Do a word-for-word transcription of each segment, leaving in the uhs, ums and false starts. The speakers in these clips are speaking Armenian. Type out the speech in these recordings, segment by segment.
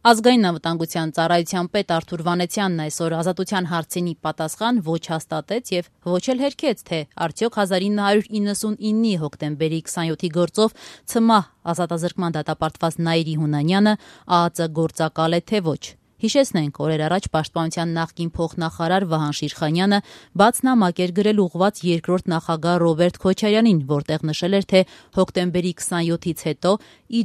Ազգային անվտանգության ծառայության պետ Արթուր Վանեցյանն այսօր Ազատության հարցինի պատասխան ոչ հաստատեց եւ ոչ էլ հերքեց, թե արդյոք հազար ինը հարյուր իննսունինի հոկտեմբերի քսանյոթի գործով ՑՄԱՀ ազատազրկման դատապարտված Նաիրի Հունանյանը ԱԱԾ գործակալ է, թե ոչ։ Հիշեցնենք, օրեր առաջ Պաշտպանության նախկին փոխնախարար Վահան Շիրխանյանը բաց նամակ էր գրել ուղղված երկրորդ նախագահ Ռոբերտ Քոչարյանին, որտեղ նշել էր, թե հոկտեմբերի քսանյոթից հետո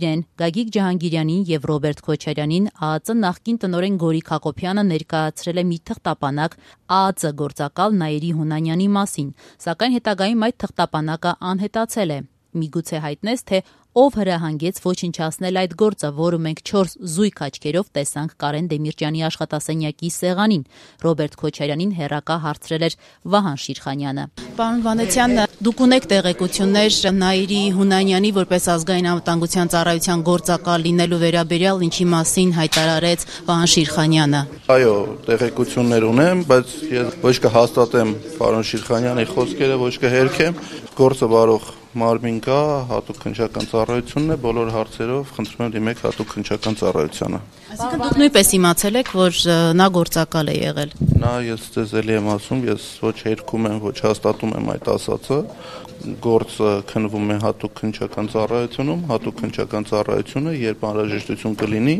իրեն, Գագիկ Ջահանգիրյանին եւ Ռոբերտ Քոչարյանին ԱԱԾ նախկին տնօրեն Գորիկ Հակոբյանը ներկայացրել է մի թղթապանակ ԱԱԾ գործակալ Նաիրի Հունանյանի մասին, սակայն հետագայում այդ թղթապանակը անհետացել է։ Միգուցե հայտնես, թե ով հրահանգեց ոչնչացնել այդ գործը, որը մենք չորս զույգ աչքերով տեսանք Կարեն Դեմիրճյանի աշխատասենյակի սեղանին։ Ռոբերտ Քոչարյանին հերակա հարցրել էր Վահան Շիրխանյանը։ Պարոն Վանեցյան, դուք ունեք տեղեկություններ Նաիրի Հունանյանի որպես ազգային անվտանգության ծառայության գործակալ լինելու վերաբերյալ, ինչի մասին հայտարարեց Վահան Շիրխանյանը։ Այո, տեղեկություններ ունեմ, բայց ես ոչ կհաստատեմ պարոն Շիրխանյանի խոսքերը, ոչ կհերքեմ։ Գործը բարող մարմին կա, հատուկ քննչական ծառայությունն է, բոլոր հարցերով խնդրում եմ դիմեք հատուկ քննչական ծառայությանը։ Այսինքն դուք նույնպես իմացել եք, որ նա գործակալ է եղել։ Նա ես ձեզ էլի եմ ասում, ես ոչ հերքում եմ, ոչ հաստատում եմ այդ ասածը։ Գործը քննվում է հատուկ քննչական ծառայությունում, հատուկ քննչական ծառայությունը, երբ անհրաժեշտություն կլինի,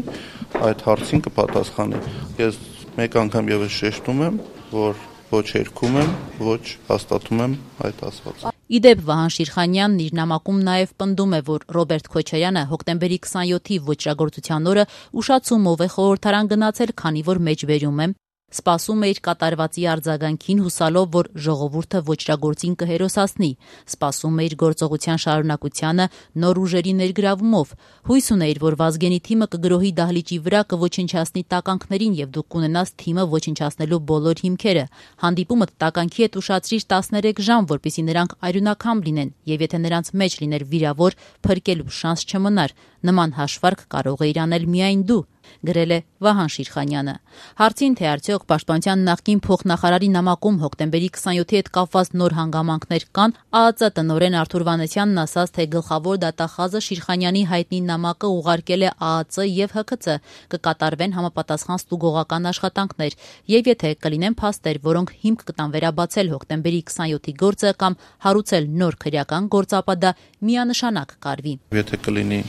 այդ հարցին կպատասխանի։ Ես մեկ անգամ եւս շեշտում եմ, որ ոչ հերքում եմ, ոչ հաստատում եմ այդ ասվածը։ Իդեպ Վահան Շիրխանյանն իր նամակում նաև պնդում է, որ Ռոբերտ Քոչարյանը հոկտեմբերի քսանյոթի ոճրագործության օրը ուշացումով է խորհրդարան գնացել, քանի որ մեջբերում է, սպասում է իր կատարվածի արձագանքին, հուսալով, որ ժողովուրդը ոճրագործին կհերոսացնի, սպասում է իր գործողության շարունակությանը նոր ուժերի ներգրավումով, հույս ուներ, որ Վազգենի թիմը կգրոհի դահլիճի վրա, կոչնչացնի տականքներին եւ դուք կունենաս թիմը ոչնչացնելու բոլոր հիմքերը։ Հանդիպումը տականքի հետ ուշացրիր տասներեք ժամ, որպեսզի նրանք արյունակամ լինեն, եւ եթե նրանց մեջ լիներ վիրավոր, փրկելու շանս չմնար։ Նման հաշվարկ կարող է իրանել միայն դու, գրել է Վահան Շիրխանյանը։ Հարցին, թե արդյոք Պաշտպանության նախկին փոխնախարարի նամակում հոկտեմբերի քսանյոթի հետ կապված նոր հանգամանքներ կան, ԱԱԾ տնօրեն Արթուր Վանեցյանն ասաց, թե գլխավոր դատախազը Շիրխանյանի հայտնի նամակը ուղարկել է ԱԱԾ եւ Հ K C, կկատարվեն համապատասխան ստուգողական աշխատանքներ, եւ եթե կլինեն փաստեր, որոնք հիմք կտան վերաբացել հոկտեմբերի քսանյոթի գործը կամ հարուցել նոր քրեական գործապատա, միանշանակ կարվի։ Եթե կլինի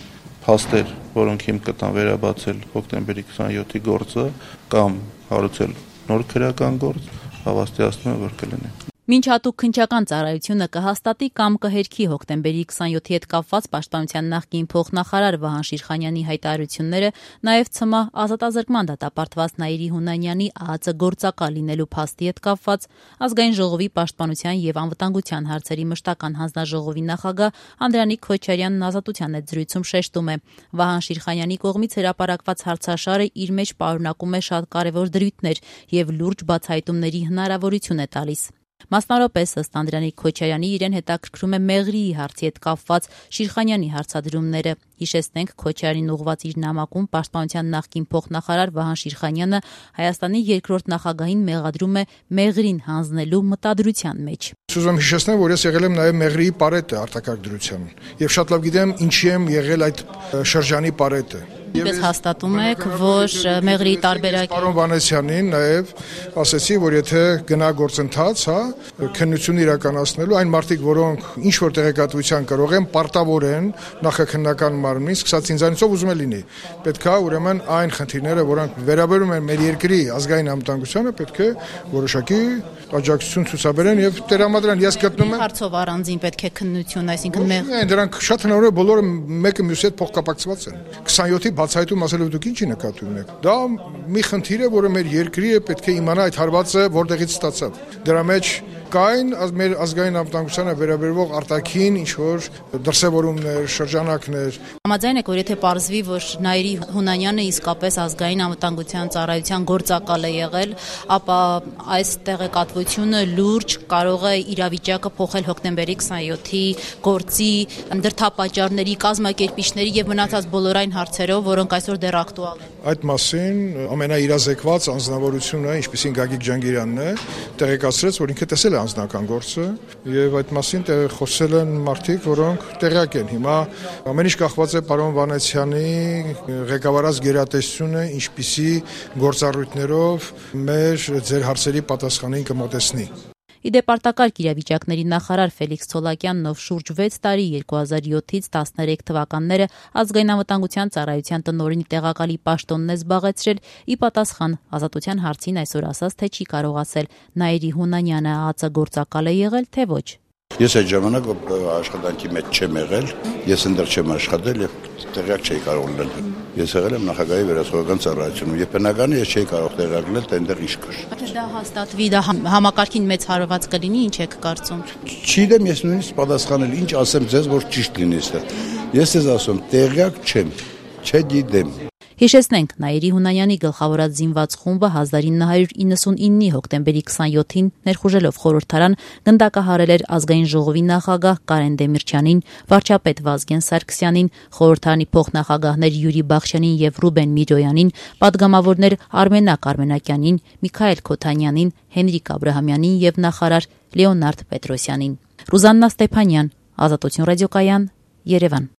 փաստեր, որոնք հիմք կտան վերաբացել հոկտեմբերի քսանյոթի գործը կամ հարուցել նոր քրեական գործ, հավաստիացնում եմ, որ կլինի։ Մինչ հատուկ քննչական ծառայությունը կհաստատի կամ կհերքի հոկտեմբերի քսանյոթի հետ կապված Պաշտպանության նախկին փոխնախարար Վահան Շիրխանյանի հայտարարությունները, նաև ՑՄԱՀ ազատազրկման դատապարտված Նաիրի Հունանյանի ԱԱԾ գործակալ լինելու փաստի հետ կապված, Ազգային ժողովի Պաշտպանության եւ անվտանգության հարցերի մշտական հանձնաժողովի նախագահ Անդրանիկ Քոչարյանն Ազատության հետ զրույցում շեշտում է. Վահան Շիրխանյանի կողմից հրապարակված հարցաշարը իր մեջ պարունակում է շատ կարևոր դրույթներ եւ լուրջ բացահայտումների հնարավորություն է տալիս։ Մասնավորապես, ըստ Անդրանիկ Քոչարյանի, իրեն հետաքրքրում է Մեղրիի հարցի հետ կապված Շիրխանյանի հարցադրումները։ Հիշեցնենք, Քոչարյանին ուղղված իր նամակում Պաշտպանության նախկին փոխնախարար Վահան Շիրխանյանը Հայաստանի երկրորդ նախագահին մեղադրում է Մեղրին հանձնելու մտադրության մեջ։ Ուզում եմ հիշեցնել, որ ես եղել եմ նաև Մեղրիի պարետը արտակարգ դրության եւ շատ լավ գիտեմ ինչի եմ եղել այդ շրջանի պարետը։ Ես հաստատում եք, որ Մեղրիի տարբերակը Պարոն Վանեցյանին նաև ասեցի, որ եթե գնա գործընթաց, հա, քննություն իրականացնելու այն մարդիկ, որոնք ինչ որ տեղեկատվության կարող են պարտավորեն նախաքննական մարմնին, սկսած ինձանից ով ուզում է լինի։ Պետք է ուրեմն այն խնդիրները, որոնք վերաբերում են մեր երկրի ազգային անվտանգությանը, պետք է որոշակի աջակցություն ցուցաբերեն եւ տրամադրեն։ Ես գտնում եմ հարցով առանձին պետք է քննություն, այսինքն մեղ դրանք շատ հնարավոր է բոլորը մեկը մյուսի հետ փոխկապակցված են։ քսանյոթի բացահայտում ասելով դուք ինչի նկատի ունեք։ Դա մի խնդիր է, որը մեր երկրի է պետք է իմանա այդ հարվածը որտեղից ստացավ։ Դրա մեջ կային մեր ազգային անվտանգությանը վերաբերող արտաքին ինչ որ դրսևորումներ, շրջանակներ։ Համաձայն եք, որ եթե պարզվի, որ Նաիրի Հունանյանը իսկապես ազգային անվտանգության ծառայության գործակալ է եղել, ապա այս տեղեկատվությունը լուրջ կարող է իրավիճակը փոխել հոկտեմբերի քսանյոթի գործի դրդապատճառների, կազմակերպիչների եւ մնացած բոլոր այն հարցերով, որոնք այսօր դեռ ակտուալ են։ Այդ մասին ամենաիրազեկված անձնավորությունը, ինչպեսին Գագիկ Ջանգիրյանն է, տեղեկացրեց, որ ինքը տեսել է անձնական գործը եւ այդ մասին խոսել են մարդիկ, որոնք տեղյակ են։ Հիմա ամեն ինչ կախված է պարոն Վանեցյանի ղեկավարած գերատեսչությունը, ինչպիսի գործառույթներով մեր ձեր հարցերի պատասխանին կմոտեցնի։ Իդեպ արտակարգ իրավիճակների նախարար Ֆելիքս Ցոլակյանն, ով շուրջ վեց տարի երկու հազար յոթից տասներեք թվականները ազգային անվտանգության ծառայության տնօրենի տեղակալի պաշտոնն է զբաղեցրել, ի պատասխան Ազատության հարցին այսօր ասաց, թե չի կարողացել Նաիրի Հունանյանը ԱԱԾ գործակալ է եղել, թե ոչ։ Ես այդ ժամանակ աշխատանքի մեջ չեմ եղել, ես ընդդեռ չեմ աշխատել եւ տեղյակ չէի կարող լինել։ Ես եղել եմ նախագահի վերահսկողական ծառայությունում եւ բնական է ես չէի կարող տեղյակ լինել, թե այնտեղ ինչ կար։ Եթե դա հաստատվի, դա համակարգին մեծ հարված կլինի, ինչ եք կարծում։ Չգիտեմ, ես նույնիսկ պատասխանել, ինչ ասեմ ձեզ, որ ճիշտ լինի այստեղ։ Ես ձեզ ասում, տեղյակ չեմ, չգիտեմ։ Հիշեցնենք, Նաիրի Հունանյանի գլխավորած զինված խումբը հազար ինը հարյուր իննսունինի հոկտեմբերի քսանյոթին ներխուժելով խորհրդարան գնդակահարել էր ազգային ժողովի նախագահ Կարեն Դեմիրճյանին, վարչապետ Վազգեն Սարգսյանին, խորհրդարանի փոխնախագահներ Յուրի Բախշյանին եւ Ռուբեն Միրոյանին, պատգամավորներ Արմենակ Արմենակյանին, Միքայել Քոթանյանին, Հենրիկ Աբրահամյանին եւ նախարար Լեոնարդ Պետրոսյանին։ Ռուզաննա Ստեփանյան, Ազատություն ռադիոկայան, Երևան։